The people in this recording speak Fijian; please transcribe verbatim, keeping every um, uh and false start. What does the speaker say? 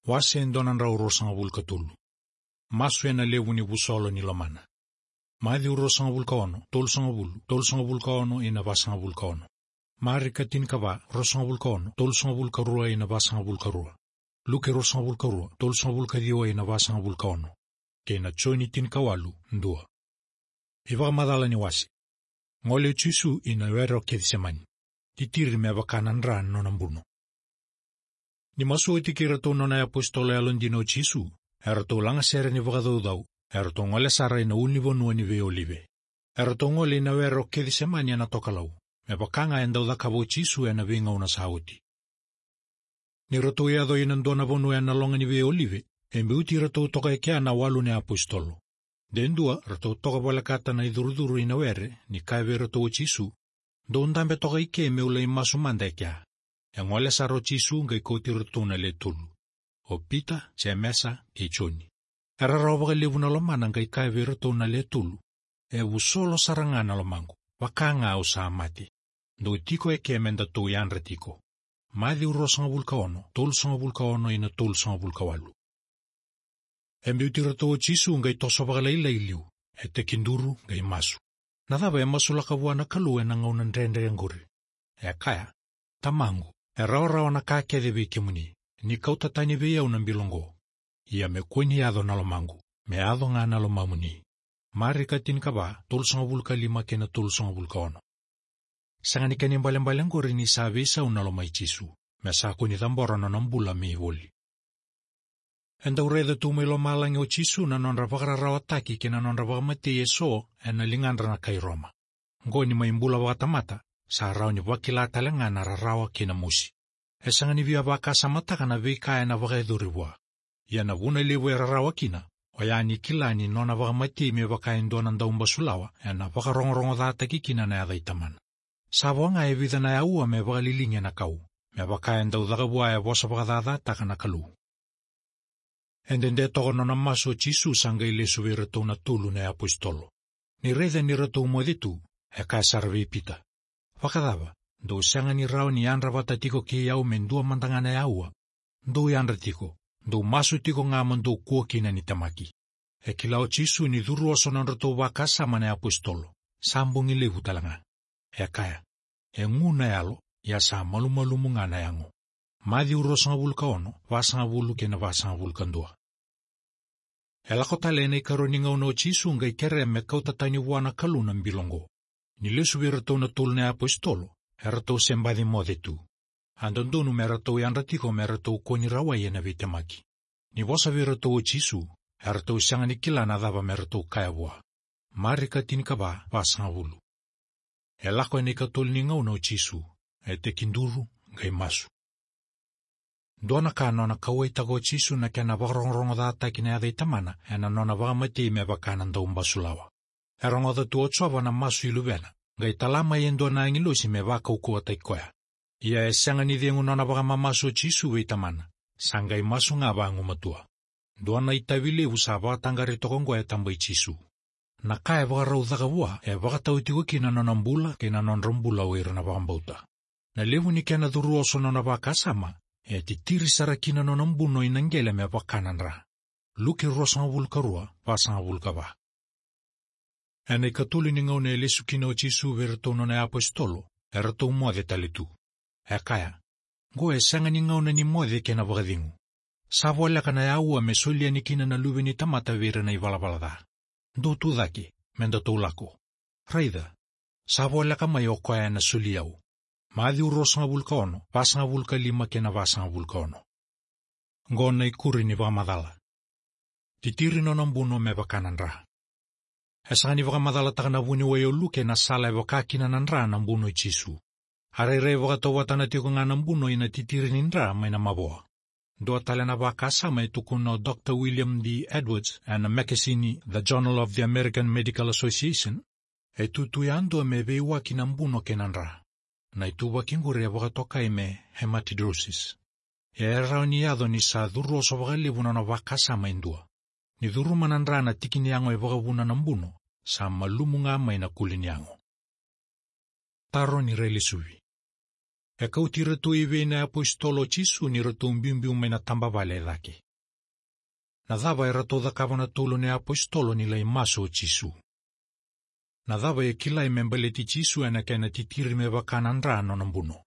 Wase e dua na drau ruasagavulu ka tolu. Masu ena levu ni vusolo ni lomana. Maciu ruasagavulu ka ono, tolusagavulu, tolusagavulu ka ono ina vasagavulu ka ono. Marika tinikava, ruasagavulu ka ono, tolusagavulu ka rua ina vasagavulu ka rua. Luke ruasagavulu ka rua, tolusagavulu ka ciwa ina vasagavulu ka ono. Kei na Joni tinikawalu, dua. iVakamacala ni wase. Gole o Jisu ina were o Kecisemani. Titiri me vaka na dra na nona buno. Ni masu oti kei iratou nona iapositolo yalodina o Jisu, eratou lagasere ni vakacaucau, eratou gole sara ina ulunivanua ni veiolive. Eratou gole ina were o Kecisemani ena tokalau, me vaka ga e dau cakava o Jisu ena veigauna sa oti. Ni ratou yaco ina dua na vanua ena loga ni veiolive, e biuti iratou toka e kea na walu na iapositolo. De dua, ratou toka volekata na icurucuru ina were, ni kaya vei iratou o Jisu, "Dou dabe toka i ke me'u lai masu mada e kea." E gole sara o Jisu qai kauti iratou na le tolu. O Pita, Jemesa, kei Joni. E rarawa vakalevu na lomana qai kaya vei iratou na le tolu, "E vusolo sara ga na lomaqu, vaka ga au sa mate. Dou tiko e ke me datou yadra tiko." Maciu ruasagavulu ka ono, tolusagavulu ka ono ina tolusagavulu ka walu. E biuti iratou o Jisu qai toso vakalailai liu, e tekiduru qai masu. "Na cava e masulaka vua na Kalou ena gauna dredre qori?" E kaya, "Tamaqu, e rawarawa na ka kece vei kemuni, ni kauta tani vei au na bilo qo. Ia me kua ni yaco na lomaqu, me yaco ga na lomamuni." Marika tinikava, tolusagavulu ka lima kei na tolusagavulu ka ono. Sega ni kena ibalebale qori ni sa veisau na loma i Jisu, me sa kua ni cabora nona bula me ivoli. E dau raica tu mai lomalagi o Jisu na nodra vakararawataki kei na nodra vakamatei eso ena ligadra na kai Roma. Qo ni mai bula vakatamata, sa rawa ni vakila tale ga na rarawa kei na mosi. E sega ni via vakasamataka na veika ena vakayacori vua. Ia na vuna levu e rarawa kina, oya ni kila ni nona vakamatei me vaka e dua na daubasulawa, ena vakarogorogocataki kina na yaca i Tamana. Sa vo ga e vica na aua me vakaliligi ena kau, me vaka e dau caka vua e vosa vakacacataka na Kalou. E dede toka nona masu o Jisu sa qai lesu vei iratou na tolu na iapositolo. Ni raica ni ratou moce tu, e kaya sara vei Pita, "Vakacava, dou sega ni rawa ni yadra vata tiko kei au me dua mada ga na aua? Dou yadra tiko, dou masu tiko ga mo dou kua kina ni temaki." E kila o Jisu ni curu oso nodratou vakasama na iapositolo, sa bogi levu tale ga. E kaya, "E gu na yalo, ia sa malumalumu ga na yago." Maciu ruasagavulu ka ono, vasagavulu kei na vasagavulu ka dua. E lako tale ena ikarua ni gauna o Jisu qai kerea me kauta tani vua na Kalou na bilo qo. Ni lesu vei iratou na tolu na iapositolo, eratou se baci moce tu. A dodonu me ratou yadra tiko me ratou kua ni rawai ena veitemaki. Ni vosa vei iratou o Jisu, eratou sega ni kila na cava me ratou kaya vua. Marika tinikava, vasagavulu. E lako ena ikatolu ni gauna o Jisu, e tekiduru qai masu. Dua na ka nona kauwaitaka o Jisu na kena vakarogorogocataki na yaca i Tamana ena nona vakamatei me vaka na daubasulawa. E rogoca tu o Jiova na masu i Luvena, qai tala mai e dua na agilosi me vakaukauwataki koya. Ia e sega ni cegu nona vakamamasu o Jisu vei Tamana, sa qai masu ga vagumatua. Dua na itavi levu sa vakataqari toka qo e taba i Jisu. Na ka e vakarau caka vua e vakatau tiko kina na nona bula kei na nodra bula o ira na vakabauta. Na levu ni kena curu oso nona vakasama, e titiri sara kina nona buno ina qele me vaka na dra. Luke ruasagavulu ka rua, vasagavulu ka va. Ena ikatolu ni gauna e lesu kina o Jisu vei iratou nona iapositolo, eratou moce tale tu. E kaya, "Qo e sega ni gauna ni moce kei na vakacegu. Sa voleka na aua me soli yani kina na Luve ni tamata vei ira na ivalavala ca. Dou tu cake, me datou lako. Raica, sa voleka mai o koya ena soli au." Maciu ruasagavulu ka ono, vasagavulu ka lima kei na vasagavulu ka ono. Qo na ikuri ni vakamacala. Titiri nona buno me vaka na dra. E sega ni vakamacalataka na vuniwai o Luke na sala e vaka kina na dra na buno i Jisu. A rairai vakatauvatana tiko ga na buno ina titiri ni dra mai na mavoa. Dua tale na vakasama e tukuna o Doctor William D. Edwards ena mekesini The Journal of the American Medical Association, e tutu yadua me veiwaki na buno kei na dra. Na ituvaki qori e vakatokai me hematidrosis. E rawa ni yaco ni sa curu oso vakalevu nona vakasama e dua. Ni curuma na dra na tiki ni yago e vakavuna na buno, sa malumu ga mai na kuli ni yago. Taro ni railesuvi. E kauti iratou i vei na iapositolo o Jisu ni ratou biubiu mai na tabavale e cake? Na cava eratou cakava na tolu na iapositolo ni lai masu o Jisu? Na cava e kilai me baleti Jisu ena kena titiri me vaka na dra na nona buno?